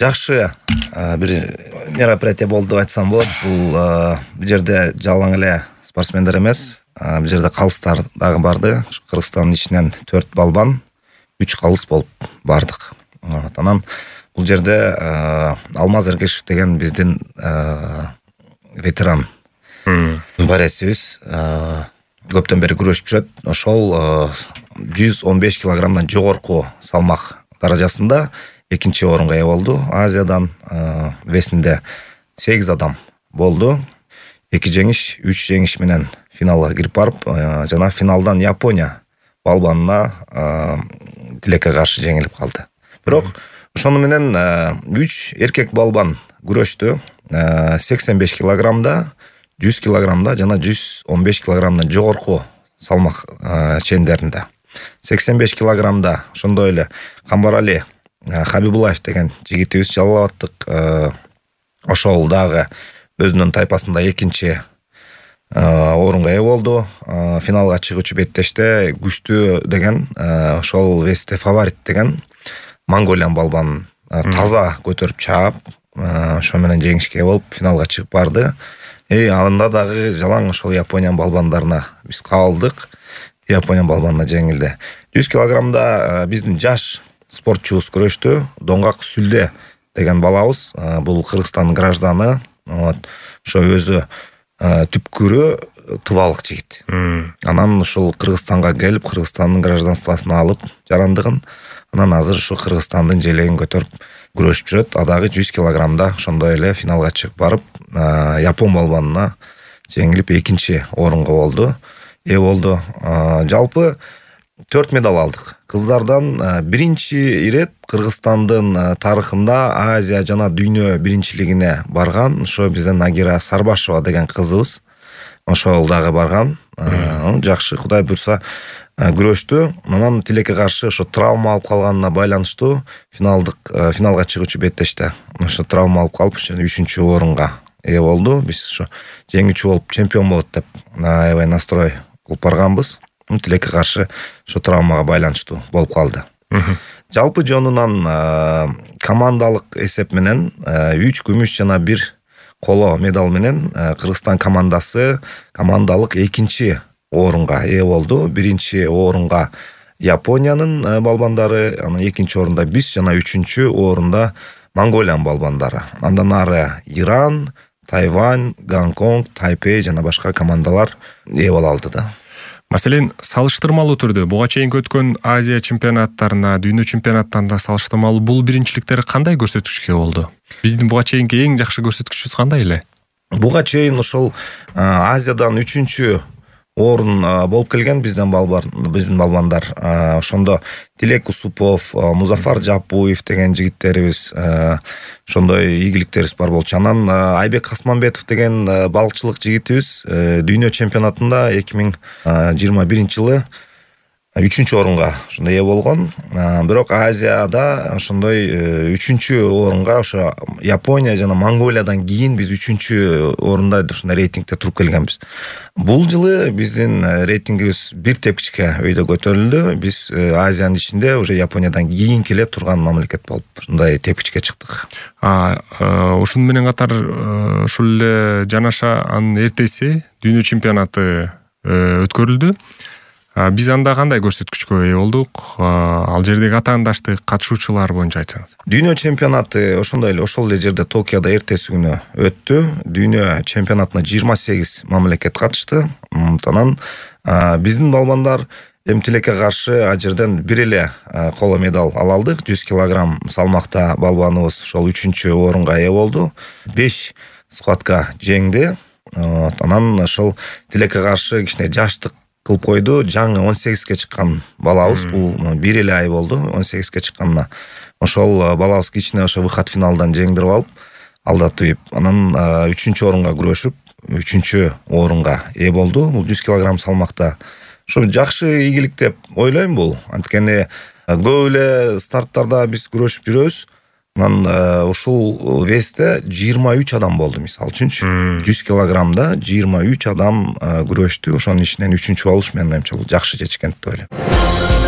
Жакшы бир мероприятие болду деп айтсам болот. Бул жерде жалаң эле спортсмендер эмес, бул жерде калыстар дагы барды. Кыргызстандын ичинен 4 балбан, 3 калыс болуп бардык. Анан бул жерде Алмаз Эргешев деген биздин ветеран борецибиз көптөн бери күрөшүп жүрөт. Ошол 115 килограммдан жогорку салмак даражасында экинчи орунга ээ болду. Азиядан весинде 8 адам болду. 2 жеңиш, 3 жеңиш менен финалга кирип барып, жана финалдан Япония балбанына тилекке каршы жеңилип калды. Бирок ошону менен 3 эркек балбан күрөштү. 85 килограммда, 100 килограммда жана 115 килограммдан жогорку салмак чендеринде. 85 килограммда ошондой эле Камбарали Хабибулаев деген жигитибиз Жалал Абадтык ошол дагы өзүнүн тайпасында экинчи орунга ээ болду. Финалга чыгуучу беттеште күчтүү деген ошол весте фаворит деген Монголиан балбан таза көтөрүп чаап, ошо менен жеңишке ээ болуп финалга чыгып барды. Анда дагы жалаң ошол Япониан балбандарына биз кабылдык. Япониан балбанына жеңилди. 100 килограммда биздин жаш спортчубуз күрөштү. Доңгак Сүлде деген балабыз, бул Кыргызстандын гражданы. Ошо өзү түпкүрү тывалык жигит. Анан ушул Кыргызстанга келип, Кыргызстандын гражданствосын алып жарандыгын, анан азыр ушу Кыргызстандын желегин көтөрүп күрөшүп жүрөт. Адагы 100 килограммда ошондой эле финалга чыгып барып, Япон балбанына жеңилип экинчи орунга болду. Ээ болду. Жалпы 4 медаль алдык. Кыздардан биринчи ирет Кыргызстандын тарыхында Азия жана дүйнө биринчилигине барган ошо биздин Нагира Сарбашева деген кызыбыз. Ошол дагы барган. Жакшы, Кудай буйрса күрөштү. Анан тилекке каршы ошо травма алып калганына байланыштуу финалга чыгуучу беттеште ошо травма алып калып, 3-чү орунга ээ болду. Биз ошо жеңүүчү болуп чемпион болот деп аябай настрой кылып барганбыз. Тилекке каршы ошо травмага байланыштуу болуп калды. Жалпы жонунан командалык эсеп менен 3 күмүш жана 1 коло медаль менен Кыргызстан командасы командалык экинчи орунга ээ болду. Биринчи орунга Япониянын балбандары, анан экинчи орунда биз жана 3-чү орунда Монголиан балбандары. Андан ары Иран, Тайвань, Гонконг, Тайпей жана башка командалар ээ боло алды да. Маселен, салыштырмалуу түрдө буга чейинки өткөн Азия чемпионаттарына, дүйнө чемпионаттарына салыштырмалуу бул биринчиликтер кандай көрсөткүчкө болду? Биздин буга чейинки эң жакшы көрсөткүчүбүз кандай эле? Буга чейин ошол Азиядан 3-чү орун болуп келген биздин балбандар. Ошондо Тилек Усупов, Музафар Жапуев деген жигиттерибиз, ошондой ийгиликтерибиз бар болчу. Анан Айбек Касманбетов деген балыкчылык жигитибиз дүйнө чемпионатында 2021-жылы 3-чү орунга ошондой ээ болгон. Бирок Азияда ошондой 3-чү орунга ошо Япония жана Монголиядан кийин биз 3-чү орунда ушундай рейтингде туруп келгенбиз. Бул жылы биздин рейтингибиз бир тепкичке өйдө көтөрүлдү. Биз Азиянын ичинде уже Япониядан кийин келе турган мамлекет болуп ушундай тепкичке чыктык. Ушуну менен катар ушул эле жанаша анын эртеси дүйнө чемпионаты өткөрүлдү. Биз анда кандай көрсөткүчкө ээ болдук? Ал жердеги атаандаштык катышуучулар боюнча айтсаңыз. Дүйнө чемпионаты ошондой эле ошол эле жерде Токиодо эртеси күнү өттү. Дүйнө чемпионатына 28 мамлекет катышты. Анан биздин балбандар тилекке каршы ал жерден бир эле коло медаль ала алдык. 100 килограмм салмакта балбаныбыз ошол 3-чү орунга ээ болду. 5 схватка жеңди. Анан ошол тилекке каршы кичине жаштык кылып койду. Жаңы 18ге чыккан балабыз, бул бир эле ай болду 18ге чыкканына. Ошол балабыз кичине ошо выход финалдан жеңдирип алып, алдатып, анан 3-чү орунга күрөшүп, 3-чү орунга ээ болду. Бул 100 килограмм салмакта. Ошо жакшы ийгилик деп ойлойм бул. Анткени көп эле старттарда биз күрөшүп жүрөбүз. Анан ушул весте 23 адам болду, мисалы үчүнчү. 100 килограммда 23 адам күрөштү. Ошонун ичинен 3-чү болуш менин оюмча бул жакшы чечкен деп ойлойм.